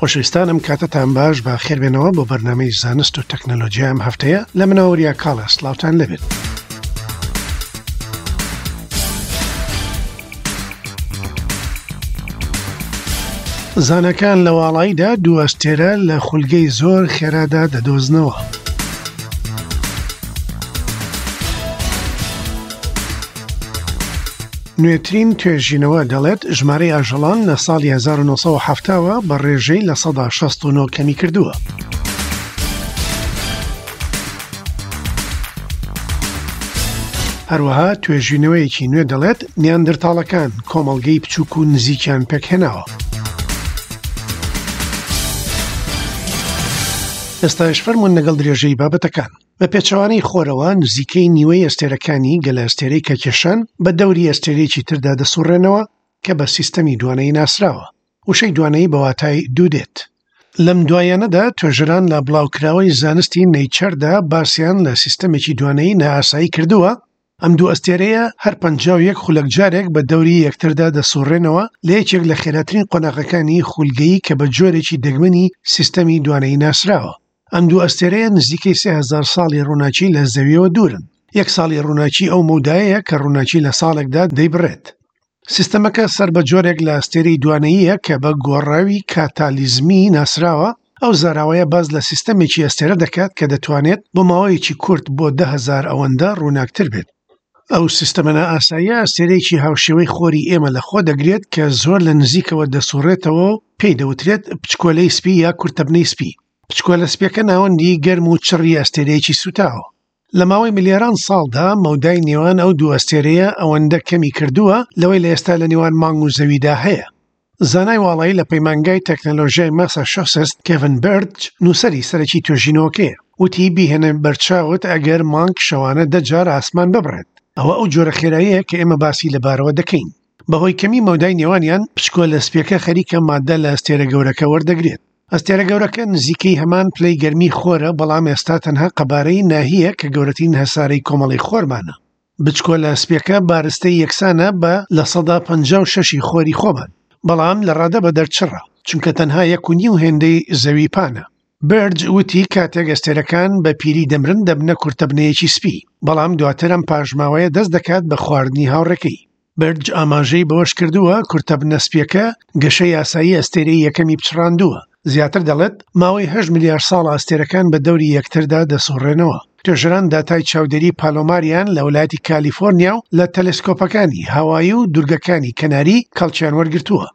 خۆشەویستان ئەم کاتەتان باش بە خێربێنەوە بۆ بەرنامەی زانست و تەکنەلۆجیا ئەم هەفتەیە لە منەوە وریا کاڵە سڵاوتان لەبێت. زاناکان لە واڵاییدا دوو ئەستێرە لە خولگەی زۆر خێرادا دەدۆزنەوە. نوێترین توێژینەوە دەڵێت ژمارەی ئاژەڵان لە ساڵی 1970ەوە بە ڕێژەی 69% کەمی کردووە. هەروەها توێژینەوەیەکی نوێ دەڵێت نیاندرتاڵەکان کۆمەڵگەی بچووک و نزیکیان پێکهێناوە. ئێستاش فەرموون لەگەڵ درێژەی بابەتەکان. بە پێچەوانەی خۆرەوە نزیکەی نیوەی ئەستێرەکانی گەلەئەستێرەی کەکێشان بە دەوری ئەستێرەیەکی تردا دەسوڕێنەوە کە بە سیستەمی دوانەیی ناسراوە. وشەی دوانەیی بە واتای دوو دێت. لەم دواییانەدا توێژەران لە بڵاوکراوەی زانستی نەیچەردا باسیان لە سیستەمێکی دوانەیی نائاسایی کردووە، ئەم دوو ئەستێرەیە هەر 51 خولەک جارێک بە دەوری یەکتردا دەسوڕێنەوە لە یەکێک لە خێراترین قۆناغەکانی خولگەیی کە بە جۆرێکی دەگمەنی سیستەمی دوانەیی ناسراوە. ئەم دوو ئەستێرەیە نزیکەی 3000 ساڵی ڕووناکی لە زەویەوە دوورن. یەک ساڵی ڕووناکی ئەو مەودایەیە کە ڕووناکی لە ساڵێکدا دەیبڕێت. سیستەمەکە سەر بە جۆرێک لە ئەستێرەی دوانەییە کە بە گۆڕاوی کاتالیزمی ناسراوە، ئەو زاراوەیە باس لە سیستەمێکی ئەستێرە دەکات کە دەتوانێت بۆ ماوەیەکی کورت بۆ 10,000 ئەوەندە ڕووناکتر بێت. ئەو سیستەمە نائاساییە ئەستێرەیەکی هاوشێوەی خۆری ئێمە لەخۆ دەگرێت کە زۆر لە نزیکەوە دەسوڕێتەوە و پێی دەوترێت پچکۆلەی سپی یا کورتەبنەی سپی. پچکۆلە سپیەکە ناوەندی گەرم و چڕی ئەستێرەیەکی سووتاوە. لە ماوەی ملیاران ساڵدا مەودای نێوان ئەو دوو ئەستێرەیە ئەوەندە کەمی کردووە لەوەی لە ئێستا لە نێوان مانگ و زەویدا هەیە. زانای واڵایی لە پەیمانگای تەکنەلۆژیای ماساشۆستس کێڤن بێرج نووسەری سەرەکی توێژینەوەکەیە وتی بیهێنە بەرچاوت ئەگەر مانگ شەوانە دە جار ئاسمان ببڕێت ئەوە ئەو جۆرە خێراییە کە ئێمە باسی لەبارەوە دەکەین. بەهۆی کەمی مەودای نێوانیان پچکۆلە سپیەکە خەریکە ماددە لە ئەستێرە گەورەکە وەردەگرێت. ئەستێرە گەورەکە نزیکەی هەمان پلەی گەرمی خۆرە، بەڵام ئێستا تەنها قەبارەی ناهییە کە گەورەترین هەسارەی کۆمەڵەی خۆرمانە. بچکۆلە سپیەکە بارستەی یەکسانە بە 56% ی خۆری خۆمان، بەڵام لە ڕادە بەدەر چڕە، چونکە تەنها یەک و نیو هێندەی زەوی پانە. بێرج وتی کاتێک ئەستێرەکان بە پیری دەمرن دەبنە کورتەبنەیەکی سپی، بەڵام دواتر ئەم پاشماوەیە دەست دەکات بە خواردنی هاوڕێکەی. بێرج ئاماژەی بەوەشکردووە، کورتەبنە سپییەکە گەشەی ئاسایی ئەستێرەی یەکەمی پچڕاندووە، زیاتر دەڵێت، ماوەی هەشت ملیار ساڵە ئەستێرەکان بە دەوری یەکتردا دەسوڕێنەوە. توێژەران داتای چاودێری پالۆماریان لە ویلایەتی کالیفۆرنیا و لە تەلەسکۆپەکانی هاوایی و دوورگەکانی کەناری کەڵکیان وەرگرتووە.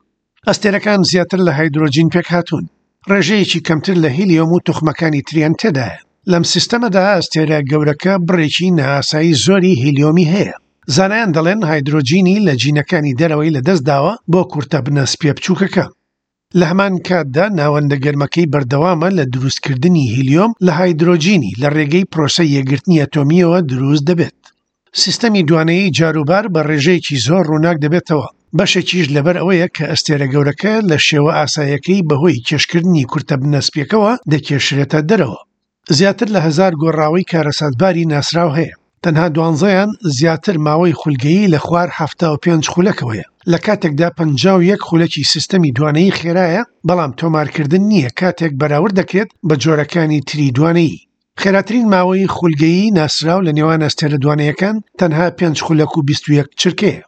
ئەستێرەکان زیاتر لە هایدرۆجین پێکهاتوون، ڕێژەیەکی کەمتر لە هیلیۆم و توخمەکانی تریان تێدایە. لەم سیستەمەدا ئەستێرە گەورەکە بڕێکی نائاسایی زۆری هیلیۆمی هەیە. زانایان دەڵێن هایدرۆجینی لە جینەکانی دەرەوەی لەدەستداوە بۆ کورتەبنە سپییە بچووکەکە. لە هەمان کاتدا ناوەندە گەرمەکەی بەردەوامە لە دروستکردنی هیلیۆم لە هایدرۆجینی لە ڕێگەی پرۆسەی یەکگرتنی ئەتۆمییەوە دروست دەبێت. سیستەمی دوانەیی جاروبار بە ڕێژەیەکی زۆر ڕووناک دەبێتەوە، بەشێکیش لەبەر ئەوەیە کە ئەستێرە گەورەکە لە شێوە ئاساییەکەی بەهۆی کێشکردنی کورتەبنە سپییەکەوە دەکێشرێتە دەرەوە. زیاتر لە هەزار گۆڕاوەی کارەساتباری ناسراو هەیە، تەنها دوانزەیان زیاتر ماوەی خولگەیی لە خوار 75 خولەکەوەیە، لە کاتێکدا 51 خولەکی سیستەمی دوانەیی خێرایە، بەڵام تۆمارکردن نییە کاتێک بەراورد دەکرێت بە جۆرەکانی تری دوانەیی. خێراترین ماوەی خولگەیی ناسراو لە نێوان ئەستێرە دوانەیەکان تەنها 5 خولەک و 21 چرکەیە.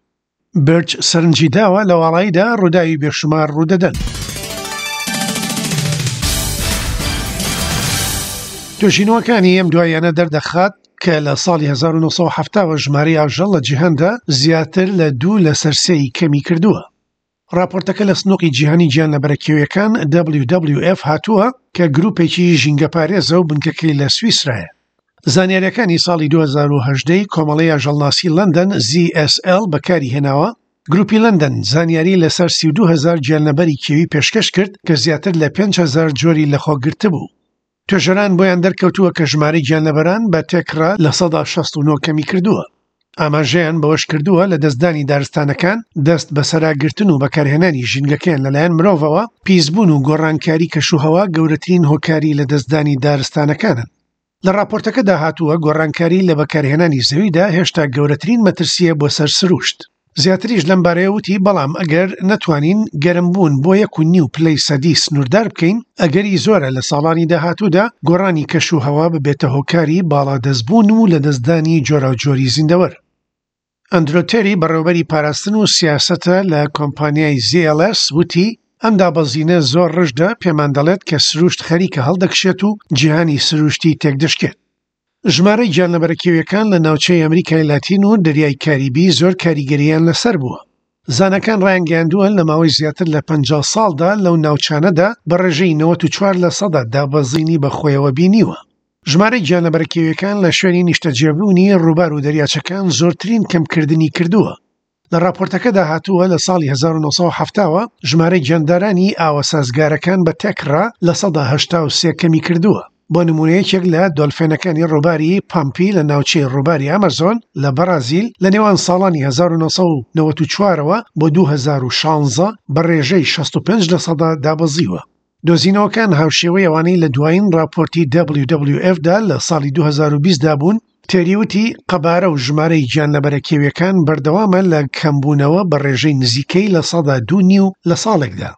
بێرچ سەرنجی داوە لە واڵاییدا ڕووداوی بێشومار ڕوودەدەن. توێژینەوەکانی ئەم دواییانە دەردەخات کە لە ساڵی 1970ەوە ژمارەی ئاژەڵ لە جیهاندا زیاتر لە دوو لەسەر سێی کەمی کردووە. ڕاپۆرتەکە لە سنوقی جیهانی گیانلەبەرە کێویەکان WWF هاتووە کە گروپێکی ژینگەپارێزە و بنکەکەی لە سویسرایە. زانیاریەکانی ساڵی 2018 ی کۆمەڵەی ئاژەڵناسی لەندەن ZSL بەکاری هێناوە، گروپی لەندەن زانیاری لەسەر 32 هەزار گیانلەبەری کێوی پێشکەش کرد کە زیاتر لە 5000 جۆری لەخۆگرتبوو. توێژەران بۆیان دەرکەوتووە کە ژمارەی گیانلەبەران بە تێکڕا 69% کەمی کردووە. ئاماژەیان بەوەشکردووە، لەدەستدانی دارستانەکان، دەست بەسەراگرتن و بەکارهێنانی ژینگەکەیان لەلایەن مرۆڤەوە، پیسبوون و گۆڕانکاری کەشوهەوا گەورەترین هۆکاری لەدەستدانی دارستانەکانن. لە ڕاپۆرتەکەدا هاتووە، گۆڕانکاری لە بەکارهێنانی زەویدا هێشتا گەورەترین مەترسییە بۆ سەر سروشت. زیاتریش لەم بارەیە وتی بەڵام ئەگەر نەتوانین گەرمبوون بۆ یەک و نیو پلەی سەدی سنووردار بکەین، ئەگەری زۆرە لە ساڵانی داهاتوودا گۆڕانی کەش و هەوا ببێتە هۆکاری باڵادەستبوون و لەدەستدانی جۆراوجۆری زیندەوەر. ئەندرۆ تێری بەڕێوبەری پاراستن و سیاسەتە لە کۆمپانیای ZLS وتی ئەم دابەزینە زۆر ڕژدە پێمان دەڵێت کە سروشت خەریکە هەڵدەکشێت و جیهانی سروشتی تێکدەشکێت. ژمارەی گیانلەبەرە کێویەکان لە ناوچەی ئەمریکای لاتین و دەریای کاریبی زۆر کاریگەرییان لەسەر بووە. زاناکان ڕایانگەیاندووە لە ماوەی زیاتر لە 50 ساڵدا لەو ناوچانەدا بە ڕێژەی 94 لەسەدا دابەزینی بەخۆیەوە بینیوە. ژمارەی گیانلەبەرە کێویەکان لە شوێنی نیشتەجێبوونی ڕووبار و دەریاچەکان زۆرترین کەمکردنی کردووە. لە ڕاپۆرتەکەدا هاتووە لە ساڵی 1970 وە ژمارەی گیاندارانی ئاوە سازگارەکان بە تێکڕا 83% کەمی کردووە. بۆ نموونە یەکێک لە دۆلفێنەکانی ڕووباری پامپی لە ناوچەی ڕووباری ئەمەزۆن لە بەڕازیل لە نێوان ساڵانی 1994 ەوە بۆ 2016 بە ڕێژەی 65 لەسەدا دابەزیوە. دۆزینەوەکان هاوشێوەی ئەوانەی لە دوایین ڕاپۆرتی WWF دا لە ساڵی 2020 دا بوون، تێری وتی، قەبارە و ژمارەی گیانلەبەرە کێویەکان بەردەوامە لە کەمبوونەوە بە ڕێژەی نزیکەی 2.5 نیو لە ساڵێکدا.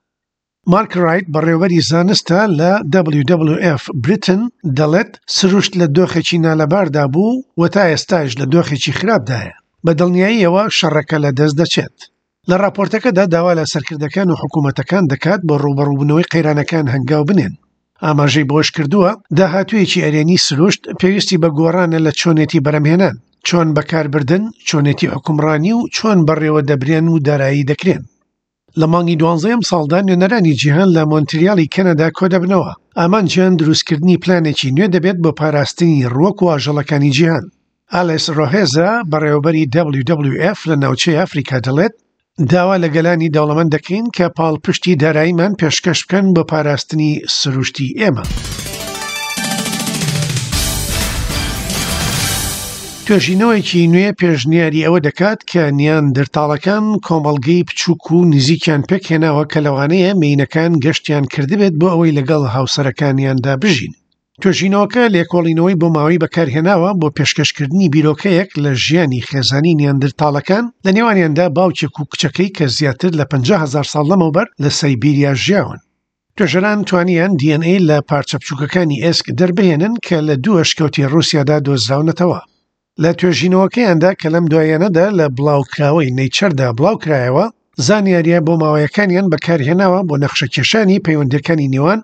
مارک ڕایت بەڕێوەبەری زانستە لە WWF Britain دەڵێت، سروشت لە دۆخێکی نالەباردا بوو و تا ئێستاش لە دۆخێکی خراپدایە. بە دڵنیاییەوە شەڕەکە لەدەست دەچێت. لە ڕاپۆرتەکەدا داوا لە سەرکردەکان و حکوومەتەکان دەکات بۆ ڕووبەڕووبوونەوەی قەیرانەکان هەنگاو بنێن. ئاماژەی بەوەشکردووە، داهاتوویەکی ئەرێنی سروشت پێویستی بە گۆڕانە لە چۆنێتی بەرهەمهێنان، چۆن بەکاربردن، چۆنێتی حوکمڕانی و چۆن بەڕێوەدەبرێن و دارایی دەکرێن. لە مانگی دوانزەی ئەمساڵدا نوێنەرانی جیهان لە مۆنتریالی کەنەدا کۆدەبنەوە، ئامانجیان دروستکردنی پلانێکی نوێ دەبێت بۆ پاراستنی ڕووەک و ئاژەڵەکانی جیهان. ئالێس ڕۆهێزا، بەڕێوەبەری WWF لە ناوچەی ئەفریکا دەڵێت، داوا لە گەلانی دەوڵەمەند دەکەین کە پاڵپشتی داراییمان پێشکەش بکەن بۆ پاراستنی سروشتی ئێمە. توێژینەوەیەکی نوێ پێشنیاری ئەوە دەکات کە نیاندرتاڵەکان کۆمەڵگەی بچووک و نزیکیان پێکهێناوە کە لەوانەیە مێینەکان گەشتیان کردبێت بۆ ئەوەی لەگەڵ هاوسەرەکانیاندا بژین. توێژینەوەکە لێکۆڵینەوەی بۆماوەیی بەکارهێناوە بۆ پێشکەشکردنی بیرۆکەیەک لە ژیانی خێزانی نیاندرتاڵەکان، لە نێوانیاندا باوکێک و کچەکەی کە زیاتر لە 50 هەزار ساڵ لەمەوبەر لە سەیبیریا ژیاون. توێژەران توانیان DNA لە پارچە بچووکەکانی ئێسک دەربهێنن کە لە دوو ئەشکەوتی ڕووسیادا دۆزراونەتەوە. لە توێژینەوەکەیاندا کە لەم دواییانەدا لە بڵاوکراوەی نەیچەردا بڵاوکرایەوە، زانیارییە بۆماوەیەکانیان بەکارهێناوە بۆ نەخشەکێشانی پەیوەندییەکانی نێوان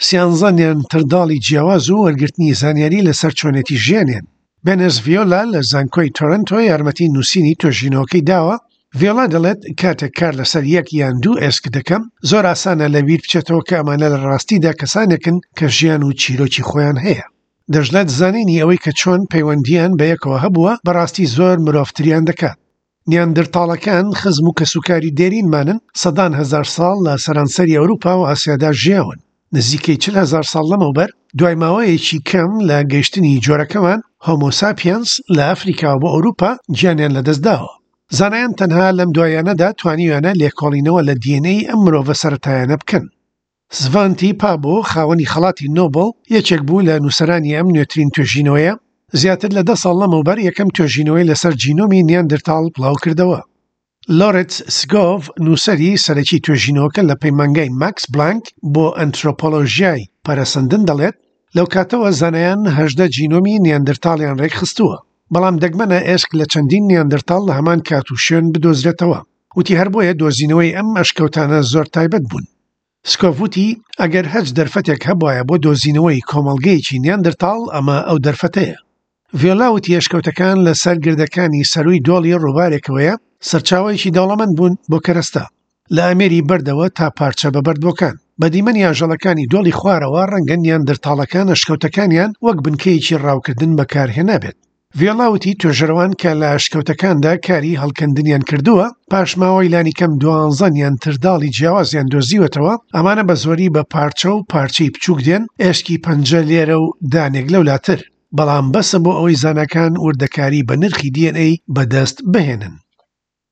سیانزە نیاندرتاڵی جیاواز و وەرگرتنی زانیاری لەسەر چۆنێتی ژیانیان. بێنس ڤیۆلا لە زانکۆی تۆرنتۆ یارمەتی نووسینی توێژینەوەکەی داوە، ڤیۆلا دەڵێت کاتێک کار لەسەر یەک یان دوو ئێسک دەکەم، زۆر ئاسانە لەبیر بچێتەوە کە ئەمانە لە ڕاستیدا کەسانێکن کە ژیان و چیرۆکی خۆیان هەیە. دەشڵێت زانینی ئەوەی کە چۆن پەیوەندییان بەیەکەوە هەبووە بەڕاستی زۆر مرۆڤتریان دەکات. نیاندرتاڵەکان خزم و کەسوکاری دێرینمانن، سەدان هەزار ساڵ لە سەرانسەری ئەوروپا و ئاسیادا ژیاون. نزیکەی 40 هەزار ساڵ لەمەوبەر، دوای ماوەیەکی کەم لە گەیشتنی جۆرەکەمان، هۆمۆ ساپیەنس، لە ئەفریکاوە بۆ ئەوروپا، گیانیان لەدەستداوە. زانایان تەنها لەم دواییانەدا توانیویانە لێکۆڵینەوە لە DNA ئەم مرۆڤە سەرەتایانە بکەن. سڤانتی پابۆ، خاوەنی خەڵاتی نۆبڵ، یەکێک بوو لە نووسەرانی ئەم نوێترین توێژینەوەیە، زیاتر لە دە ساڵ لەمەوبەر یەکەم توێژینەوەی لەسەر جینۆمی نیاندرتاڵ بڵاوکردەوە. لۆرێتس سگۆڤ، نووسەری سەرەکی توێژینەوەکە لە پەیمانگای ماکس بلانک بۆ ئەنترۆپۆلۆژیای پەرەسەندن دەڵێت، لەو کاتەوە زانایان 18 جینۆمی نیاندرتاڵیان ڕێکخستووە، بەڵام دەگمەنە ئێسک لە چەندین نیاندرتاڵ لە هەمان کات و شوێن بدۆزرێتەوە. وتی هەر بۆیە دۆزینەوەی ئەم ئەشکەوتانە زۆر تایبەت بوون. سکۆڤ وتی ئەگەر هەچ دەرفەتێک هەبوایە بۆ دۆزینەوەی کۆمەڵگەیەکی نیاندرتاڵ ئەمە ئەو دەرفەتەیە. ڤیۆلا وتی ئەشکەوتەکان لەسەر گردەکانی سەرووی دۆڵی ڕووبارێکەوەیە سەرچاوەیەکی دەوڵەمەند بوون بۆ کەرەستە، لە ئامێری بەردەوە تا پارچە بەبەردبووەکان. بە دیمەنی ئاژەڵەکانی دۆڵی خوارەوە ڕەنگە نیاندرتاڵەکان ئەشکەوتەکانیان وەک بنکەیەکی ڕاوکردن بەکارهێنابێت. ڤیۆلا وتی توێژەرەوان کە لە ئەشکەوتەکاندا کاری هەڵکەندنیان کردووە، پاشماوەی لانیکەم دوانزە نیاندرتاڵی جیاوازیان دۆزیوەتەوە، ئەمانە بە زۆری بە پارچە و پارچەی بچووک دێن، ئێسکی پەنجە لێرە و دانێک لەولاتر، بەڵام بەسە بۆ ئەوەی زاناکان وردەکاری بە نرخی DNA بەدەست بهێنن.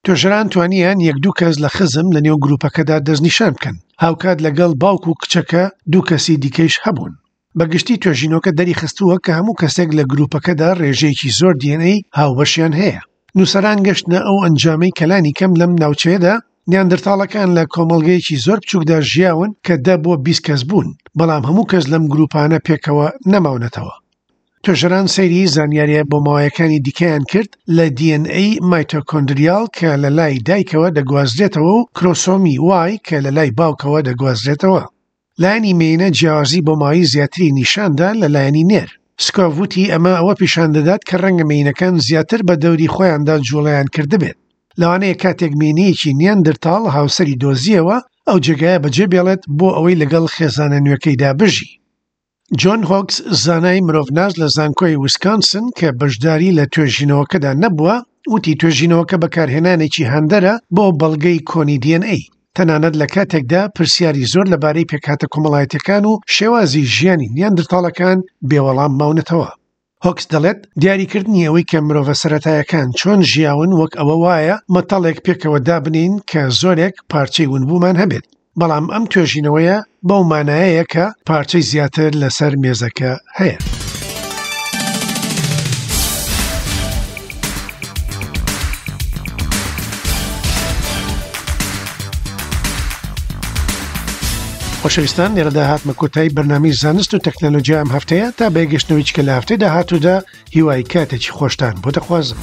توێژەران توانیان یەک دوو کەس لە خزم لە نێو گروپەکەدا دەستنیشان بکەن، هاوکات لەگەڵ باوک و کچەکە دوو کەسی دیکەیش هەبوون. بە گشتی توێژینەوەکە دەریخستووە کە هەموو کەسێک لە گروپەکەدا ڕێژەیەکی زۆر DNA هاوبەشیان هەیە. نووسەران گەشتنە ئەو ئەنجامەی کە لانی کەم لەم ناوچەیەدا نیاندرتاڵەکان لە کۆمەڵگەیەکی زۆر بچووکدا ژیاون کە دە بۆ 20 کەس بوون، بەڵام هەموو کەس لەم گرووپانە پێکەوە نەماونەتەوە. توێژەران سەیری زانیارییە بۆماوەیەکانی دیکەیان کرد لە DNA مایتۆکۆندریال کە لە لای دایکەوە دەگوازرێتەوە و کرۆسۆمی Y کە لە لای باوکەوە دەگوازرێتەوە. لایەنی مێینە جیاوازی بۆماوەیی زیاتری نیشاندا لە لایەنی نێر. سکۆڤ وتی ئەمە ئەوە پیشان دەدات کە ڕەنگە مێینەکان زیاتر بە دەوری خۆیاندا جوڵەیان کردبێت. لەوانەیە کاتێک مێینەیەکی نیاندرتاڵ هاوسەری دۆزییەوە، ئەو جێگایە بەجێ بێڵێت بۆ ئەوەی لەگەڵ خێزانە نوێکەیدا بژی. جۆن هۆکس، زانای مرۆڤناس لە زانکۆی ویسکانسن کە بەشداری لە توێژینەوەکەدا نەبووە، وتی توێژینەوەکە بەکارهێنانێکی هاندەرە بۆ بەڵگەی کۆنی DNA، تەنانەت لە کاتێکدا پرسیاری زۆر لەبارەی پێکهاتە کۆمەڵایەتیەکان و شێوازی ژیانی نیاندرتاڵەکان بێوەڵام ماونەتەوە. هۆکس دەڵێت، دیاریکردنی ئەوەی کە مرۆڤە سەرەتایەکان چۆن ژیاون وەک ئەوە وایە مەتەڵێک پێکەوە دابنێین کە زۆرێک پارچەی ونبوومان هەبێت، بەڵام ئەم توێژینەوەیە بەو مانایەیە کە پارچەی زیاتر لەسەر مێزەکە هەیە. خۆشەویستان لێرەدا هاتمە کۆتایی بەرنامەی زانست و تەکنەلۆژیا ئەم هەفتەیە تا بەیەکگەشتنەوەی چکە لە هەفتەی داهاتوودا هیوای کاتێکی خۆشتان بۆ دەخوازم.